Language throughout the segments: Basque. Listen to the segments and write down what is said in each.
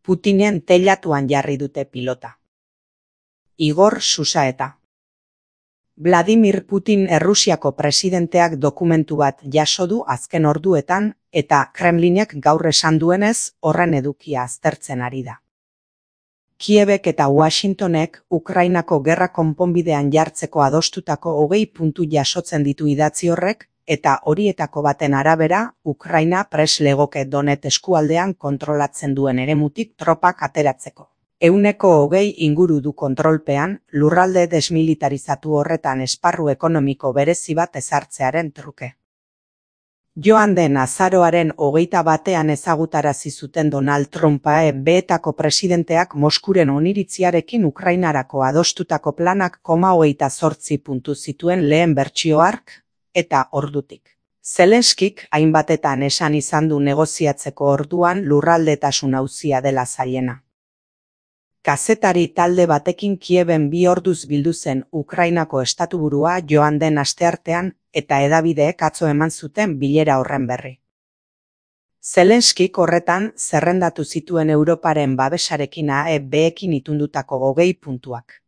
Putinen teilatuan jarri dute pilota. Igor Susaeta. Vladimir Putin Errusiako presidenteak dokumentu bat jaso du azken orduetan eta Kremlinek gaur esan duenez horren edukia aztertzen ari da. Kiebek eta Washingtonek Ukrainako gerra konponbidean jartzeko adostutako 20 puntu jasotzen ditu idatzi horrek, eta horietako baten arabera Ukraina prest legoke Donetsk eskualdean kontrolatzen duen eremutik tropak ateratzeko. 120 inguru du kontrolpean lurralde desmilitarizatu horretan esparru ekonomiko berezi bat ezartzearen truke. Joan den azaroaren 21ean ezagutarazi zuten Donald Trumpa EB-etako presidenteak Moskuren oniritziarekin Ukrainarako adostutako planak 28 puntu zituen lehen bertsio hark, eta ordutik. Zelenskik hainbatetan esan izan du negoziatzeko orduan lurraldetasun auzia dela zailena. Kazetari talde batekin Kieben 2 orduz bildu zen Ukrainako estatuburua joan den asteartean eta hedabideek atzo eman zuten bilera horren berri. Zelenskik horretan zerrendatu zituen Europaren babesarekin EB-ekin itundutako 20 puntuak.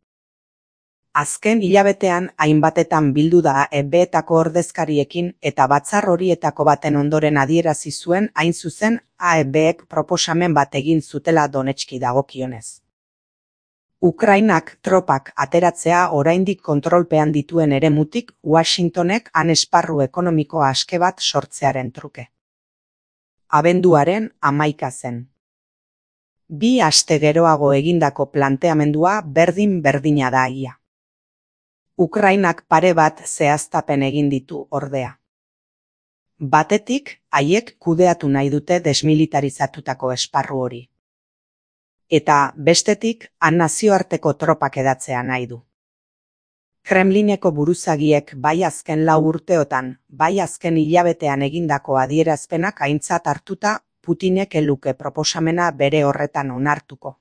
Azken hilabetean hainbatetan bildu da EB-etako ordezkariekin eta batzar horietako baten ondoren adierazi zuen hain zuzen EB-ek proposamen bat egin zutela Donetski dagokionez. Ukrainak tropak ateratzea oraindik kontrolpean dituen eremutik Washingtonek han esparru ekonomiko aske bat sortzearen truke. Abenduaren 11 zen. 2 aste geroago egindako planteamendua berdin-berdina da ia. Ukrainak pare bat zehaztapen egin ditu ordea. Batetik, haiek kudeatu nahi dute desmilitarizatutako esparru hori. Eta bestetik, han nazioarteko tropak edatzea nahi du. Kremlineko buruzagiek bai azken 4 urteotan, bai azken hilabetean egindako adierazpenak aintzat hartuta Putinek ez luke proposamena bere horretan onartuko.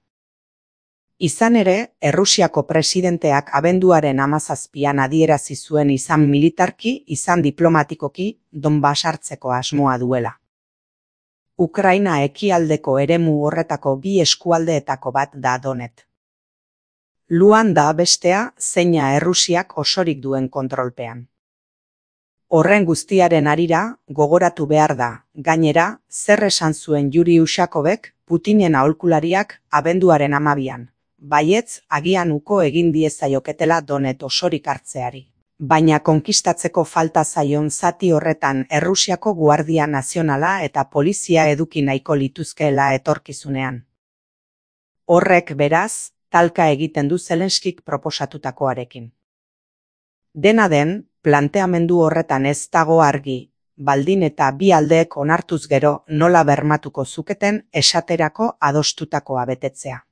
Izan ere, Errusiako presidenteak abenduaren 17an adierazi zuen izan militarki, izan diplomatikoki, Donbas hartzeko asmoa duela. Ukraina ekialdeko eremu horretako 2 eskualdeetako bat da Donetsk. Luan da bestea zeina Errusiak osorik duen kontrolpean. Horren guztiaren harira, gogoratu behar da, gainera, zer esan zuen Yuri Ushakovek, Putinen aholkulariak abenduaren 12an. Baietz, agian uko egin diezaioketela Donetsk osorik hartzeari. Baina konkistatzeko falta zaion zati horretan Errusiako Guardia Nazionala eta polizia eduki nahiko lituzkeela etorkizunean. Horrek beraz, talka egiten du Zelenskik proposatutakoarekin. Dena den, planteamendu horretan ez dago argi, baldin eta bi aldeek onartuz gero nola bermatuko zuketen esaterako adostutakoa betetzea.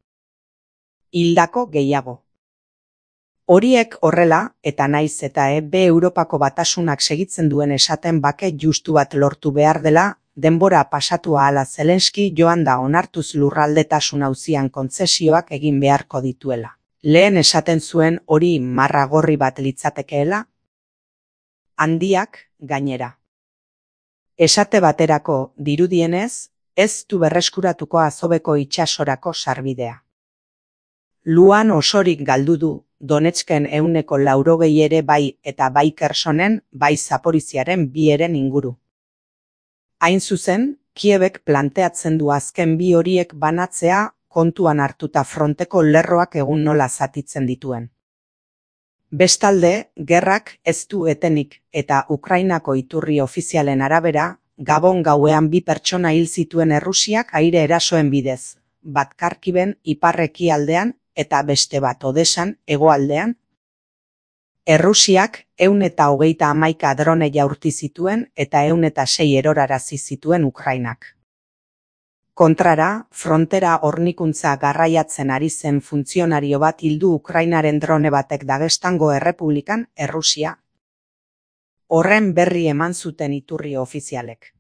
Hildako gehiago. Horiek horrela, eta naiz eta EB Europako batasunak segitzen duen esaten bake justu bat lortu behar dela, denbora pasatu ahala Zelenski joan da onartuz lurraldetasun auzian kontzesioak egin beharko dituela. Lehen esaten zuen hori marra gorri bat litzatekeela? Handiak, gainera. Esate baterako, dirudienez, ez du berreskuratuko Azoveko itsasorako sarbidea. Luan osorik galdu du, Donetsken 180 ere bai eta bai Kersonen, bai Zaporiziaren 2 eren inguru. Hain zuzen, Kiebek planteatzen du azken 2 horiek banatzea kontuan hartuta fronteko lerroak egun nola zatitzen dituen. Bestalde, gerrak ez du etenik eta Ukrainako iturri ofizialen arabera, Gabon gauean 2 pertsona hil zituen Errusiak aire erasoen bidez, bat Kharkiven ipar-ekialdean eta beste bat Odesan hegoaldean. Errusiak 131 drone jaurti zituen eta 106 erorarazi zituen Ukrainak. Kontrara, frontera hornikuntza garraiatzen ari zen funtzionario bat hildu Ukrainaren drone batek Dagestango Errepublikan, Errusia. Horren berri eman zuten iturri ofizialek.